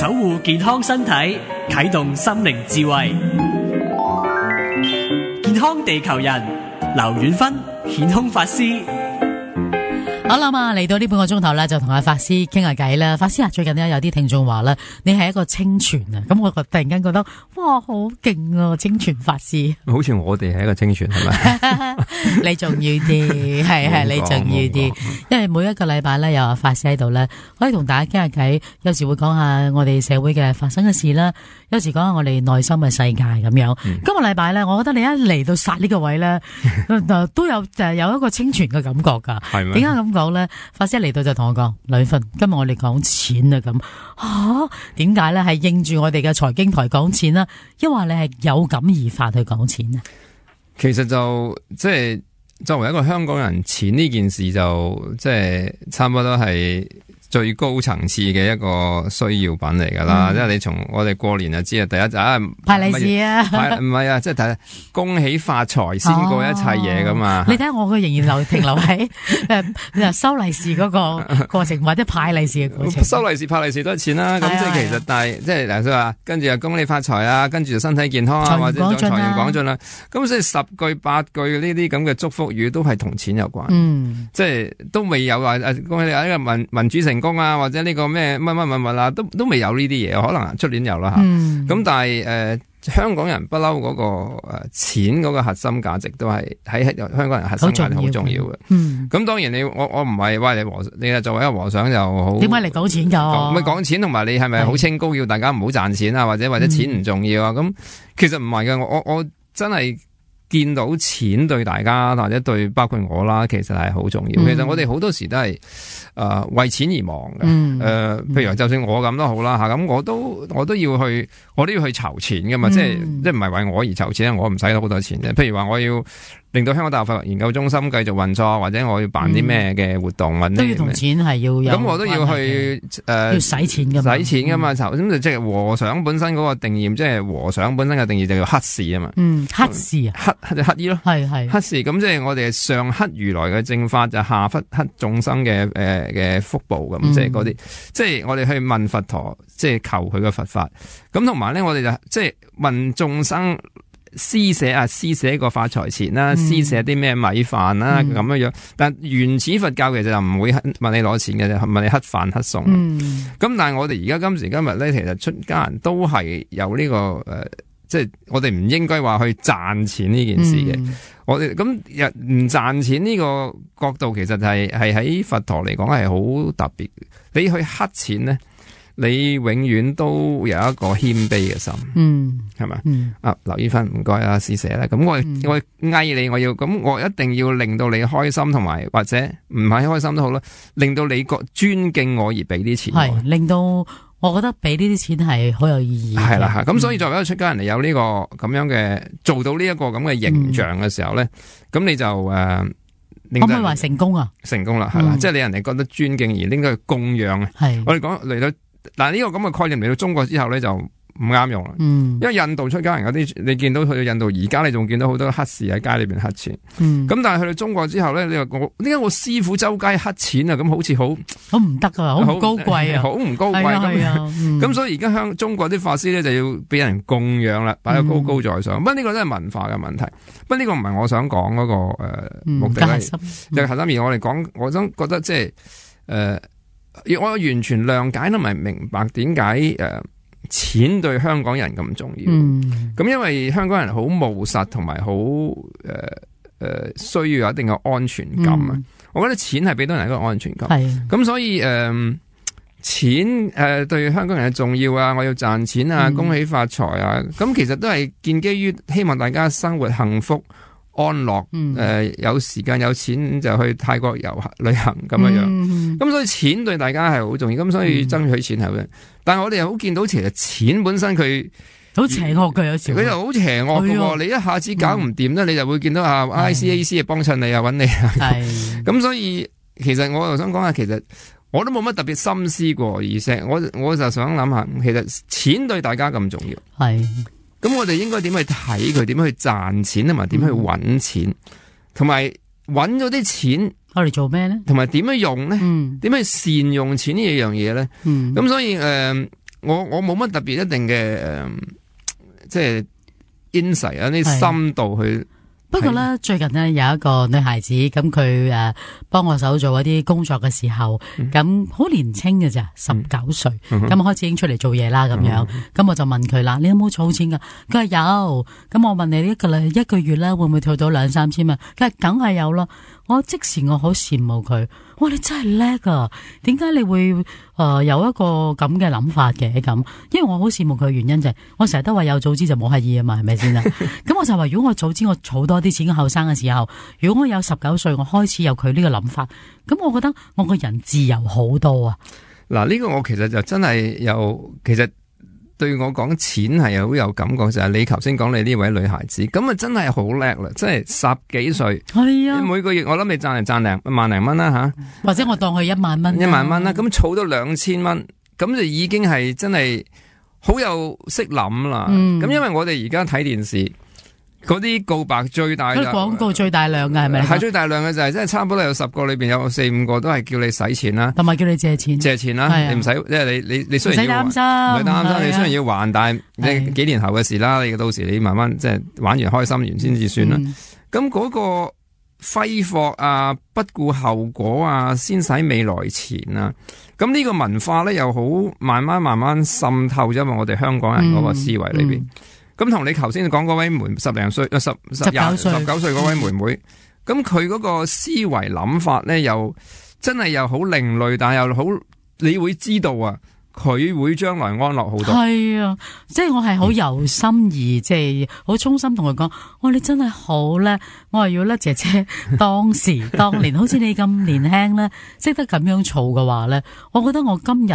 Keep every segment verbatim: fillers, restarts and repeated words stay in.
守護健康身體，啟動心靈智慧。健康地球人，劉遠芬顯空法師。好啦嘛，嚟到呢半個鐘頭咧，就同阿法師傾下偈啦。法師啊，最近咧有啲聽眾話咧，你係一個清泉啊，咁我突然間覺得，哇，好勁啊，清泉法師。好似我哋係一個清泉係咪？你重要啲，係係你重要啲，因為每一個禮拜咧有阿法師喺度咧，可以同大家傾下偈，有時會講下我哋社會嘅發生嘅事啦，有時講下我哋內心嘅世界咁樣。嗯、今個禮拜咧，我覺得你一嚟到殺呢個位咧，都有就係有一個清泉嘅感覺噶。係咩？點解咁講咧？法師嚟到就同我講，呂芬，今日我哋講錢啊咁。吓，點解咧？係應住我哋嘅財經台講錢啦，抑或你係有感而發去講錢啊？其實就即係作為一個香港人，錢呢件事就即係差唔多都係最高層次嘅一個需要品嚟噶啦，即係、嗯、你從我哋過年就知啊，第一就啊派利是啊，唔係啊，即係睇恭喜發財先過一切嘢噶嘛。哦、你睇下我嘅仍然留停留喺誒收利是嗰個過程，或者派利是嘅過程。收利是派利是都係錢啦，咁即係其實但係即係嗱，所以話跟住就恭喜發財啊，跟住就身體健康啊，或者財源廣進啦。咁所以十句八句呢啲咁嘅祝福語都係同錢有關。嗯，即係都未有話誒恭喜你呢個民民主成功啊，或者呢個咩乜乜乜乜啦，都都未有呢啲嘢，可能出年有啦吓。咁、嗯、但係誒、呃，香港人不嬲嗰個誒、呃、錢嗰個核心價值都係喺香港人核心價值好重要嘅。咁、嗯、當然你我我唔係話你和你作為一個和尚就好。點解嚟講錢噶？咪講錢同埋你係咪好清高，要大家唔好賺錢啊，或者或者錢唔重要啊？咁、嗯、其實唔係嘅，我我我真係。見到錢對大家或者對包括我啦，其實係好重要。嗯、其實我哋好多時都係誒、呃、為錢而忙嘅。誒、嗯呃，譬如就算我咁都好啦吓，咁我都我都要去，我都要去籌錢噶嘛。嗯、即係即係唔係為我而籌錢，我唔使好多錢嘅。譬如話我要令到香港大學法律研究中心繼續運作，或者我要辦啲咩嘅活動，嗯、都要同錢係要有。咁我都要去誒，呃、要使錢噶嘛，使錢噶嘛。籌咁就即係和尚本身嗰個定義，即係和尚本身嘅定義就叫乞士啊嘛。嗯，乞士啊，乞乞衣咯，係係乞士。咁即係我哋上乞如來嘅正法，就下乞乞眾生嘅誒嘅福報咁，嗯、即係嗰啲，即係我哋去問佛陀，即係求佢嘅佛法。咁同埋咧，我哋就即係問眾生。施捨啊，施捨個發財錢啦，施捨啲咩米飯啦咁樣樣。但原始佛教其實就唔會問你攞錢嘅啫，問你乞飯乞餸。咁、嗯、但係我哋而家今時今日咧，其實出家人都係有呢、這個誒、呃，即係我哋唔應該話去賺錢呢件事嘅。嗯、我哋咁唔賺錢呢個角度，其實係係喺佛陀嚟講係好特別。你去乞錢咧？你永遠都有一個謙卑嘅心，嗯，係咪？嗯，啊，劉醫生唔該啊，施捨啦，咁我、嗯、我嗌你，我要咁，我一定要令到你開心，同埋或者唔係開心都好啦，令到你覺尊敬我而俾啲錢，係令到我覺得俾呢啲錢係好有意義，係啦，係咁，所以作為一個出家人嚟有呢、這個咁樣嘅做到呢一個咁嘅形象嘅時候咧，咁、嗯、你就誒，呃、可唔可以話成功啊？成功啦，係啦，嗯、即係你人哋覺得尊敬而應該去供養啊，係我哋講嚟到。但係呢個咁嘅概念嚟到中國之後咧，就唔啱用啦。嗯，因為印度出家人嗰啲，你見到去到印度而家，你仲見到好多乞士喺街裏邊乞錢。嗯，咁但係去到中國之後咧，你話我點解我師傅周街乞錢啊？咁好似好好唔得啊，好唔高貴啊，好唔高貴咁。咁所以而家香中國啲法師咧就要俾人供養啦，擺得高高在上。不過呢個都係文化嘅問題。不過呢個唔係我想講嗰個誒目的咧，就係核心。而我哋講，我想覺得即係誒。我完全諒解同埋明白點解誒錢對香港人咁重要。咁、嗯、因為香港人好務實同埋好誒誒需要有一定嘅安全感啊。嗯、我覺得錢係俾到人一個安全感。咁是所以誒、呃、錢誒、呃、對香港人嘅重要啊，我要賺錢啊，恭喜發財啊。咁、嗯、其實都係建基於希望大家生活幸福。安樂，誒、嗯呃，有時間有錢就去泰國遊旅行咁樣樣，咁、嗯嗯、所以錢對大家係好重要，咁所以爭取錢係嘅。嗯、但係我哋又好見到，其實錢本身佢好邪惡嘅，有時佢又好邪惡嘅，哎、呦你一下子搞唔掂咧，嗯、你就會見到啊 I C A C 啊幫襯你啊揾你啊，咁所以其實我又想講下，其實我都冇乜特別心思過，而且我我就想諗下，其實錢對大家咁重要，係。咁我哋應該點去睇佢？點去賺錢同埋點去搵錢？同埋搵咗啲錢，我哋做咩咧？同埋點樣用咧？點、嗯、去善用錢呢樣嘢咧？咁、嗯、所以誒、呃，我我冇乜特別一定嘅誒、呃，即係 insight 啊啲深度去。不過咧，最近呢，有一個女孩子，咁佢誒幫我手做一啲工作嘅時候，咁好、嗯、年輕嘅咋，十九歲，咁、嗯、開始已經出嚟做嘢啦，咁樣，咁、嗯、我就問佢啦，你有冇儲錢噶？佢話有，咁我問你一個禮一個月咧會唔會退到兩三千萬？佢話梗係有啦。我即時我好羨慕佢，哇！你真係叻啊！點解你會誒、呃、有一個咁嘅諗法嘅咁？因為我好羨慕佢嘅原因就係、是，我成日都話有早知就冇乞兒啊嘛，係咪先啊？咁我就話如果我早知我儲多啲錢，後生嘅時候，如果我有十九歲，我開始有佢呢個諗法，咁我覺得我個人自由好多啊！嗱，呢個我其實就真係有，其實。對我講錢係好有感覺，就係、是、你頭先講你呢位女孩子，咁啊真係好叻啦，即係十幾歲，係啊，每個月我諗你賺嚟賺零萬零蚊啦吓，或者我當佢一萬蚊，一萬蚊啦，咁儲到兩千蚊，咁就已經係真係好有識諗啦。咁、嗯、因為我哋而家睇電視。嗰啲告白最大嘅廣告最大量嘅係咪？係最大量嘅就係、是，即係差唔多有十個裏邊有四五個都係叫你使錢啦，同埋叫你借錢，借錢啦，啊、你唔使，即係你你你雖然要還，唔使擔心，唔使擔心，你雖然要還，但係你幾年後嘅事啦，你到時你慢慢即係玩完開心完先至算啦。咁嗰、嗯、個揮霍啊，不顧後果啊，先使未來錢啊，咁呢個文化咧又好慢慢慢慢滲透咗入我哋香港人嗰個思維裏邊。嗯嗯咁同你頭先講嗰位妹十零歲、十十廿十九歲嗰位妹妹，咁佢嗰個思維諗法咧，又真係又好另類，但係又好，你會知道啊，佢會將來安樂好多。係啊，即係我係好由心而，即係好衷心同佢講，哇，你真係好叻，我係要叻姐姐當時當年，好似你咁年輕咧，識得咁樣做嘅話咧，我覺得我今日。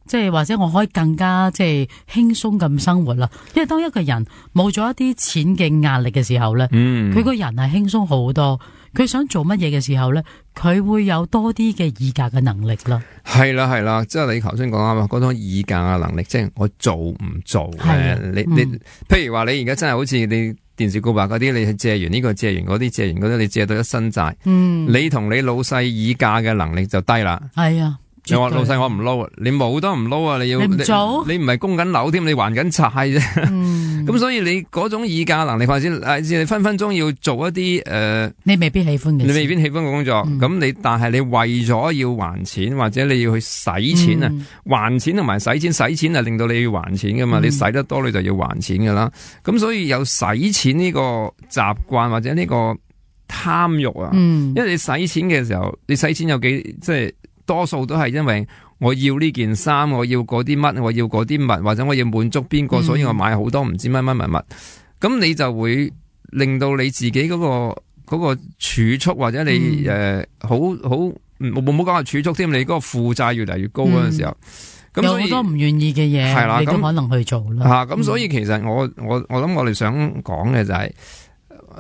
即係或者我可以更加即係輕鬆咁生活啦，因為當一個人冇咗一啲錢嘅壓力嘅時候咧，佢個、嗯、人係輕鬆好多，佢想做乜嘢嘅時候咧，佢會有多啲嘅議價嘅能力啦。係啦係啦，即係你頭先講啱啊，嗰種議價嘅能力，即係我做唔做咧？你你，譬如話你而家真係好似你電視告白嗰啲，你係借完呢個借完嗰啲借完嗰啲，你借到一身債，嗯、你同你老細議價嘅能力就低啦。係啊。你話老細我唔撈啊，你冇都唔撈啊，你要你唔做，你唔係供緊樓添，你還緊債啫。咁、嗯、所以你嗰種議價能力，或者你分分鐘要做一啲誒，呃、你未必喜歡嘅，你未必喜歡嘅工作。咁、嗯、你但係你為咗要還錢，或者你要去使錢啊，嗯、還錢同埋使錢，使錢係令到你要還錢噶嘛，嗯、你使得多你就要還錢噶啦。咁所以有使錢呢個習慣或者呢個貪欲啊，嗯、因為你使錢嘅時候，你使錢有幾即係。多數都係因為我要呢件衫，我要嗰啲乜，我要嗰啲物，或者我要滿足邊個，所以我買好多唔知乜乜物物。咁你就會令到你自己嗰、嗰個嗰、嗰個儲蓄，或者你誒、嗯呃、好好冇冇講話儲蓄添，你嗰個負債越嚟越高嗰陣時候，咁、嗯、有好多唔願意嘅嘢，係啦，你都可能去做啦。吓咁、啊，所以其實我我我諗我哋想講嘅就係、是。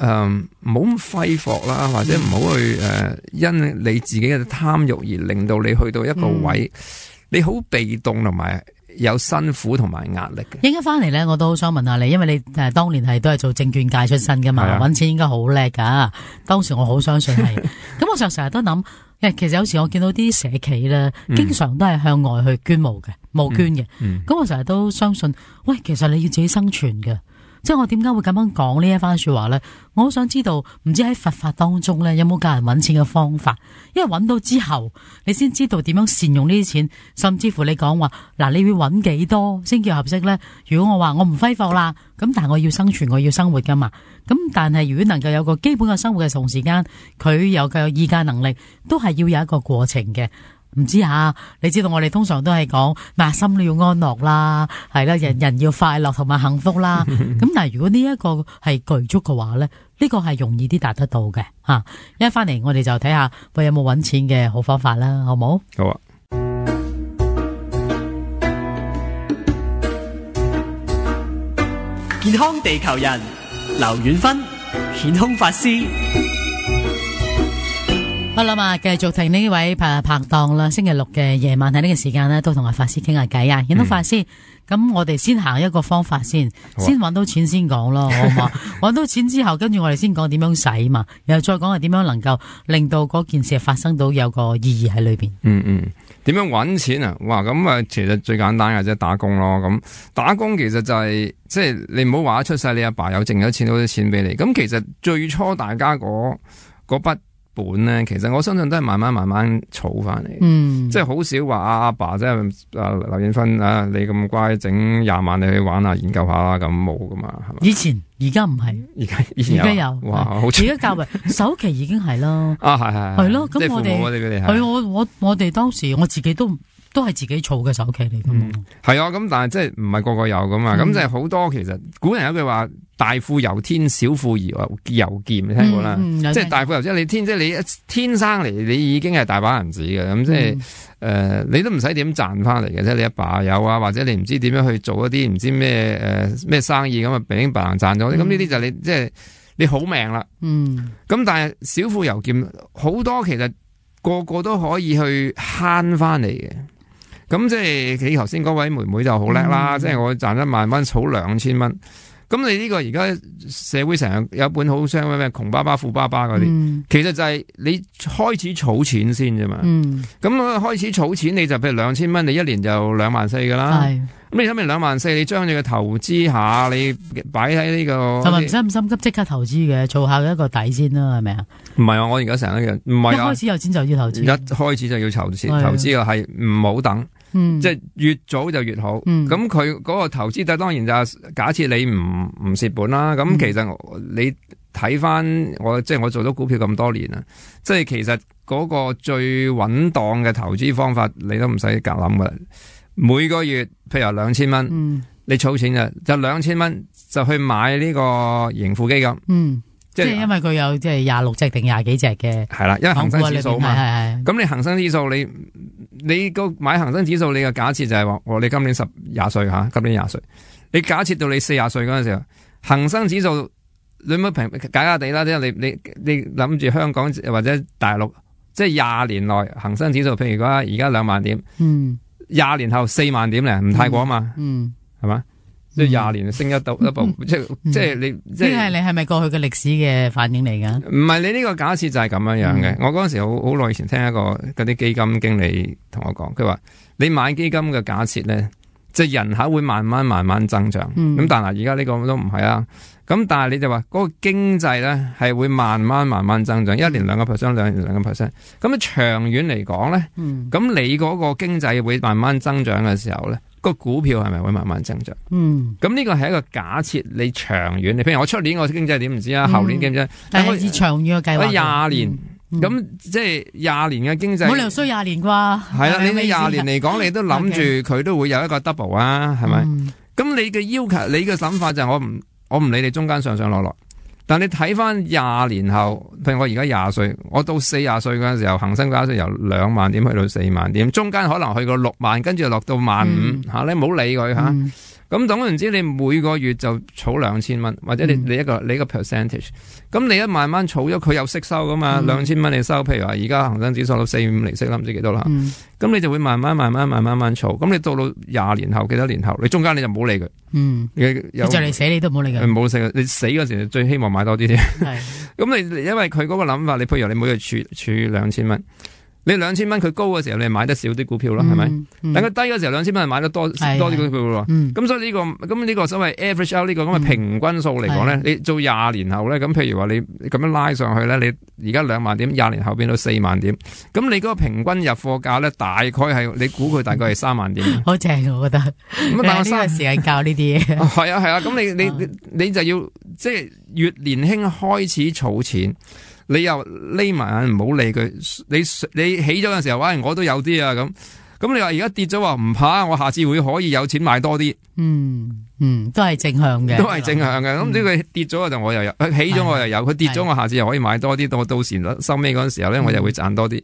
誒，唔好咁揮霍啦，或者唔好去誒、呃，因你自己嘅貪欲而令到你去到一個位，嗯、你好被動同埋有辛苦同埋壓力嘅。應該翻嚟咧，我都好想問下你，因為你誒、呃、當年係都係做證券界出身噶嘛，搵、啊、錢應該好叻噶。當時我好相信係，咁我就成日都諗，誒，其實有時我見到啲社企咧，經常都係向外去捐募嘅，募捐嘅。咁、嗯嗯、我成日都相信，喂，其實你要自己生存嘅。即係我點解會咁樣講呢一番說話咧？我好想知道，唔知喺佛法當中咧有冇教人搵錢嘅方法？因為搵到之後，你先知道點樣善用呢啲錢，甚至乎你講話嗱，你會搵幾多先叫合適咧？如果我話我唔揮霍啦，咁但係我要生存，我要生活噶嘛？咁但係如果能夠有個基本嘅生活嘅同時間，佢有夠有議價能力，都係要有一個過程嘅。唔知吓，你知道我哋通常都係講，嗱，心都要安樂啦，係啦，人人要快樂同埋幸福啦。咁但係如果呢一個係具足嘅話咧，呢個係容易啲達得到嘅吓。一翻嚟我哋就睇下喂有冇搵錢嘅好方法啦，好冇？好啊。健康地球人，劉遠芬，顯空法師。好啦嘛，繼續聽呢位拍拍檔啦。星期六嘅夜晚喺呢個時間呢，都同阿法師傾下偈啊。見到法師，咁、嗯、我哋先行一個方法先，啊、先搵到錢先講咯，好嘛？搵到錢之後，跟住我哋先講點樣使嘛，然後再講係點樣能夠令到嗰件事發生到有個意義喺裏邊。嗯嗯。點樣搵錢啊？哇！咁啊，其實最簡單嘅啫，打工咯。咁打工其實就係、是、即係你唔好話出世，你阿爸，爸有剩咗錢，好多錢俾你。咁其實最初大家嗰嗰筆本咧，其實我相信都係慢慢慢慢儲翻嚟。嗯，即係好少話阿阿爸即係啊劉燕芬啊，你咁乖，整廿萬你去玩下研究下啦，咁冇噶嘛，係嘛？以前而家唔係，而家以前有，而家有，哇，好而家較為首期已經係啦。啊，係係係咯，咁我哋係我我我哋當時我自己都。都係自己儲嘅首期嚟噶嘛？係、嗯、啊，咁但係即係唔係個個有噶嘛？咁、嗯、即係好多其實古人有句話：大富由天，小富由由儉，你聽過啦？嗯嗯、即係大富由即係你天，即係你天生嚟，你已經係大把銀紙嘅。咁即係誒、嗯呃，你都唔使點賺翻嚟嘅，即係你阿爸有啊，或者你唔知點樣去做一啲唔知咩誒咩生意咁啊，平平白白賺咗。咁呢啲就你即係你好命啦。嗯。咁但係小富由儉，好多其實個個都可以去慳翻嚟嘅。咁即係你頭先嗰位妹妹就好叻啦，嗯、即係我賺一萬蚊，儲兩千蚊。咁你呢個而家社會成日有一本好傷咩咩窮爸爸富爸爸嗰啲，嗯、其實就係你開始儲錢先啫嘛。咁、嗯、開始儲錢，你就譬如兩千蚊，你一年就兩萬四噶啦。咁你睇咪兩萬四，你將你嘅投資下，你擺喺呢個，同埋唔使咁心急即刻投資嘅，做下一個底先啦，係咪啊？唔係啊，我而家成日一樣，唔係啊。一開始有錢就要投資，一開始就要投資，投資嘅係唔好等，嗯、即係越早就越好。咁佢嗰個投資，但當然就係假設你唔唔蝕本啦。咁其實你睇翻我，即係我做咗股票咁多年啦，即係其實嗰個最穩當嘅投資方法，你都唔使夾諗噶啦。每個月譬如話兩千蚊，嗯、你儲錢就就兩千蚊就去買呢個盈富基金。嗯，即係因為佢有即係廿六隻定廿幾隻嘅。係啦，因為恒生指數嘛。咁你恒生指數你你個買恒生指數，你嘅假設就係話，我你今年十廿歲吓，今年廿歲，你假設到你四十歲嗰陣時候，恒生指數你咪平假假地啦，即係你你你諗住香港或者大陸，即係廿年內恒生指數，譬如講而家兩萬點。嗯。廿年後四萬點咧，唔太過啊嘛，嗯，係嘛，即係廿年升一到一步，即係即係你，即係你係咪過去嘅歷史嘅反應嚟噶？唔係，你呢個假設就係咁樣樣嘅。我嗰陣時好好耐以前聽一個嗰啲基金經理同我講，佢話你買基金嘅假設咧，即係人口會慢慢慢慢增長，咁但係而家呢個都唔係啊。咁但係你就話嗰個經濟咧係會慢慢慢慢增長，一年兩個 percent， 兩年兩個 percent。咁啊長遠嚟講咧，咁、嗯、你嗰個經濟會慢慢增長嘅時候咧，個股票係咪會慢慢增長？嗯，咁呢個係一個假設，你長遠，你譬如我出年我經濟點唔知啊，後年經濟，但係以長遠嘅計劃，廿年。咁、嗯、即係廿年嘅經濟，冇理由衰廿年啩？係啦，你你廿年嚟講，你都諗住佢都會有一個 double 啊，係咪？咁、嗯、你嘅要求，你嘅諗法就係我唔我唔理你中間上上落落，但你睇翻廿年後，譬如我而家廿歲，我到四十歲嗰陣時候，恒生指數由兩萬點去到四萬點，中間可能去過六萬，跟住落到萬五吓，你唔好理佢吓。嗯咁總言之，你每個月就儲兩千蚊，或者你你一個你一個 percentage，咁你一慢慢儲咗，佢有息收噶嘛？兩千蚊你收，譬如話而家恒生指數到四五厘息啦，唔知幾多啦。咁、嗯、你就會慢慢慢慢慢慢慢儲，咁你到到廿年後幾多年後，你中間你就唔好理佢。嗯，你就嚟死你都唔好理佢。唔好死，你死嗰時最希望買多啲添。咁你因為佢嗰個諗法，你譬如你每個月儲儲兩千蚊。你兩千蚊佢高嘅時候，你買得少啲股票咯，係咪？等佢低嘅時候，兩千蚊係買得多多啲股票咯。咁、嗯、所以呢、這個咁呢個所謂 average out 呢個咁嘅平均數嚟講咧，嗯、你做廿年後咧，咁譬如話你咁樣拉上去咧，你而家兩萬點，廿年後變到四萬點，咁你嗰個平均入貨價咧，大概係你估佢大概係三萬點。好正，我覺得。咁但係呢個時間教呢啲嘢。係啊係啊，咁、啊、你你你，你就要即係越年輕開始儲錢。你又匿埋眼唔好理佢，你你起咗嘅時候，喂，我都有啲啊咁，咁你話而家跌咗話唔怕，我下次會可以有錢買多啲。嗯嗯，都係正向嘅，都係正向嘅。咁呢佢跌咗就我又有，佢起咗我又有，佢跌咗我下次又可以買多啲，到到時收尾嗰陣時候咧，我又會賺多啲。咁、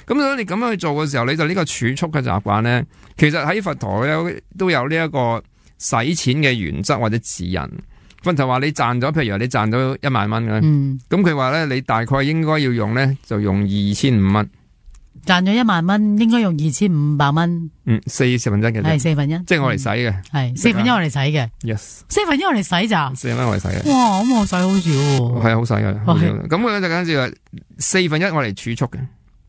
嗯、所以你咁樣去做嘅時候，你就呢個儲蓄嘅習慣咧，其實喺佛陀有都有呢一個使錢嘅原則或者指引。佛陀話你賺咗，譬如話你賺咗一萬蚊嘅，咁佢話咧你大概應該要用咧就用二千五蚊。賺咗一萬蚊，應該用二千五百蚊。嗯，四十分一嘅，係四分一，即係我嚟使嘅，係四分一我嚟使嘅。Yes，四分一我嚟使咋？四分一我嚟使嘅。哇，咁我使好少喎。係啊，好使嘅。咁佢就跟住話四分一我嚟儲蓄嘅。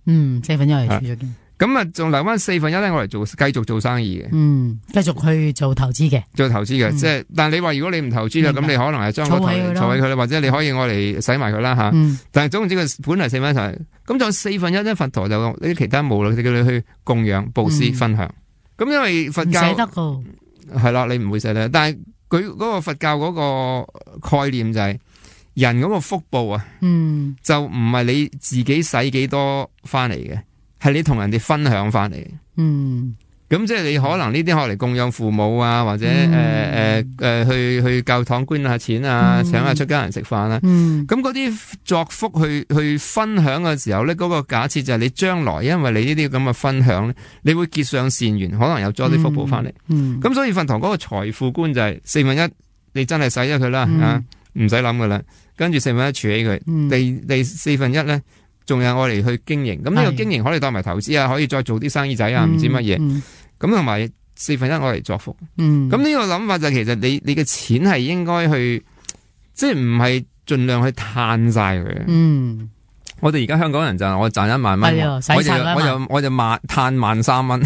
嗯，四分一我嚟儲蓄嘅。咁啊，仲留翻四分一咧，我嚟做繼續做生意嘅。嗯，繼續去做投資嘅，做投資嘅，即係、嗯，但係你話如果你唔投資啦，咁你可能係將個儲起佢啦，或者你可以我嚟使埋佢啦吓。嗯、但係總之佢本嚟四分一齊，咁就四分一咧，佛陀就呢啲其他冇啦，佢叫你去供養、布施、分享。咁、嗯、因為佛教唔捨得噶，係啦，你唔會捨得。但係佢嗰個佛教嗰個概念就係、是、人嗰個福報啊，嗯、就唔係你自己使幾多翻嚟嘅。係你同人哋分享翻嚟，嗯，咁即係你可能呢啲學嚟供養父母啊，或者誒誒誒去去教堂捐下錢啊，嗯、請下出家人食飯啊，咁嗰啲作福去去分享嘅時候咧，嗰、那個假設就係你將來因為你呢啲咁嘅分享咧，你會結上善緣，可能有多啲福報翻嚟，咁、嗯嗯、所以佛堂嗰個財富觀就係四分一，你真係使咗佢啦，嗯、啊，唔使諗噶啦，跟住四分一儲起佢，嗯、第第四分一咧。仲有我哋去經營，咁呢個經營可以當埋投資啊，可以再做啲生意仔啊，唔、嗯、知乜嘢，咁同埋四分一我嚟作福。咁呢、嗯、個諗法就其實你你嘅錢係應該去，即係唔係盡量去嘆晒佢。嗯，我哋而家香港人就係我賺一萬蚊，我就我就我就萬嘆萬三蚊。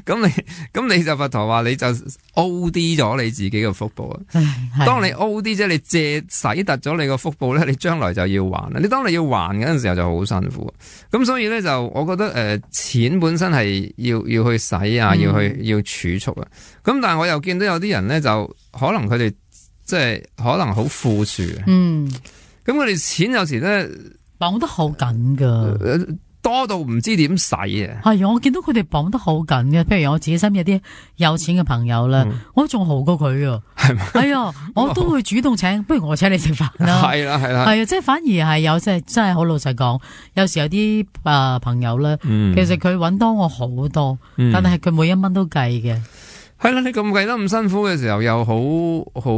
咁你咁你就佛陀話你就 O D 咗你自己嘅福報啊！當你 O D 即係你借使突咗你個福報咧，你將來就要還啦。你當你要還嗰陣時候就好辛苦。咁所以咧就我覺得誒、呃，錢本身係要要去使啊，要去要儲蓄啊。咁但係我又見到有啲人咧就可能佢哋即係可能好富庶啊。嗯，咁佢哋錢有時咧綁得好緊噶。呃多到唔知點使啊！係啊，我見到佢哋綁得好緊嘅。譬如我自己身邊有啲有錢嘅朋友咧，嗯、我仲豪過佢啊！係咪？係啊，我都會主動請，不如我請你食飯啦。係啦，係啦。係啊，即係反而係有即係真係好老實講，有時有啲啊、呃、朋友咧，嗯、其實佢搵多我好多，嗯、但係佢每一蚊都計嘅。係啦，你咁計得咁辛苦嘅時候，又好好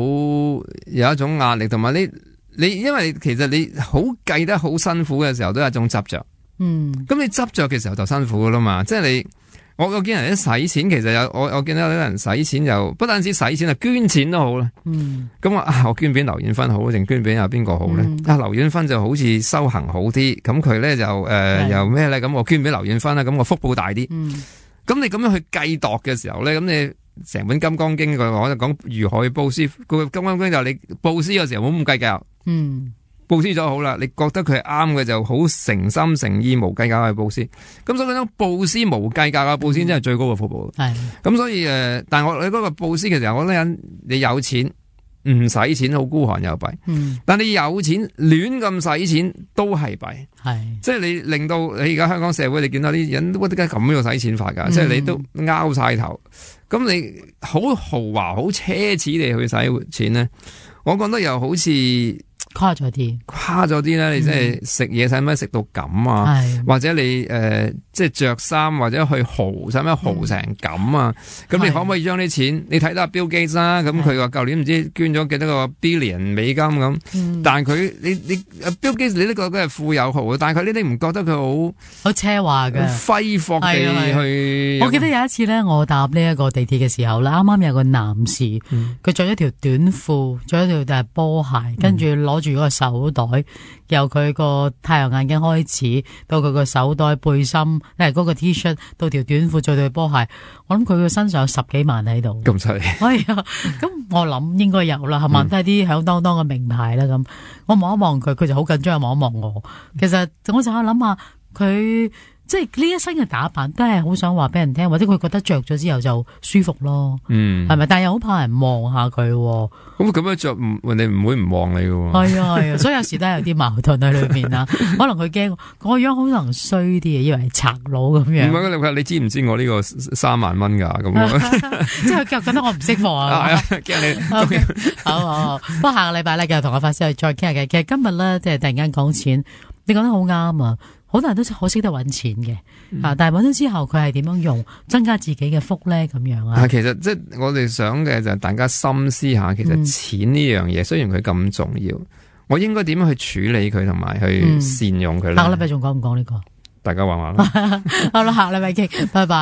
有一種壓力，同埋你你因為其實你好計得好辛苦嘅時候，都有一種執着。嗯，咁你執着嘅時候就辛苦噶啦嘛，即係你我我見人一使錢，其實有我我見到有啲人使錢又不單止使錢啊，捐錢都好啦。嗯，咁我啊我捐俾劉遠芬好定捐俾阿邊個好咧？嗯、啊劉遠芬就好似修行好啲，咁佢咧就誒、呃、又咩咧？咁我捐俾劉遠芬啦，咁我福報大啲。嗯，咁你咁樣去計度嘅時候咧，咁你成本金剛經我就講如何去布施，個金剛經就係你布施嘅時候冇咁計較。嗯。布施咗好啦，你覺得佢係啱嘅就好誠心誠意無計較去布施，咁所以嗰種布施無計較嘅布施真係最高嘅福報。係、嗯，咁所以誒、呃，但係我你嗰個布施嘅時候，我覺得人你有錢唔使錢好孤寒又弊，嗯、但你有錢亂咁使錢都係弊，係是，即係你令到你而家香港社會你見到啲人都點解咁樣使錢法噶，嗯、即係你都拗晒頭，咁你好豪華好奢侈地去使錢咧，我覺得又好似。誇咗啲，誇咗啲咧，你即係食嘢使乜食到咁啊？嗯、或者你誒、呃，即係着衫或者去豪使乜豪成咁啊？咁、嗯、你可唔可以將啲錢？的你睇到 Bill Gates 啦，咁佢話舊年唔知捐咗幾多個 billion 美金咁，嗯、但係佢你你 Bill Gates 你都覺得係富有豪，但係佢呢啲唔覺得佢好好奢華嘅揮霍地去。我記得有一次咧，我搭呢一個地鐵嘅時候咧，啱啱有個男士，佢着咗條短褲，着咗條大波鞋，跟住攞住嗰個手袋，由佢個太陽眼鏡開始，到佢個手袋、背心，誒嗰個 T 恤，到條短褲，再對波鞋，我諗佢個身上有十幾萬喺度。咁犀利？係啊，咁我諗應該有啦，係咪？都係啲響當當嘅名牌啦。咁我望一望佢，佢就好緊張，望一望我。其實我就諗下佢。即係呢一身嘅打扮都係好想話俾人聽，或者佢覺得着咗之後就舒服咯，嗯，係咪？但係又好怕人望下佢，咁咁樣着唔人哋唔會唔望你嘅，係啊係啊，所以有時都係有啲矛盾喺裏面啊。可能佢驚個樣可能衰啲嘅，以為係賊佬咁樣。唔係你知唔知我呢個三萬蚊噶咁？即係佢覺得我唔識貨啊，驚你。好好好，不過下個禮拜咧，繼續同我發師去再傾下嘅。其實今日咧，即係突然間講錢，你講得好啱啊！好多人都好識得揾錢嘅，嗯、啊！但係揾咗之後，佢係點樣用增加自己嘅福咧？咁樣啊？其實即係我哋想嘅就係大家深思下，其實錢呢樣嘢，嗯、雖然佢咁重要，我應該點樣去處理佢，同埋去善用佢咧？下個禮拜仲講唔講呢個？大家話話啦。好啦，下個禮拜傾，拜拜。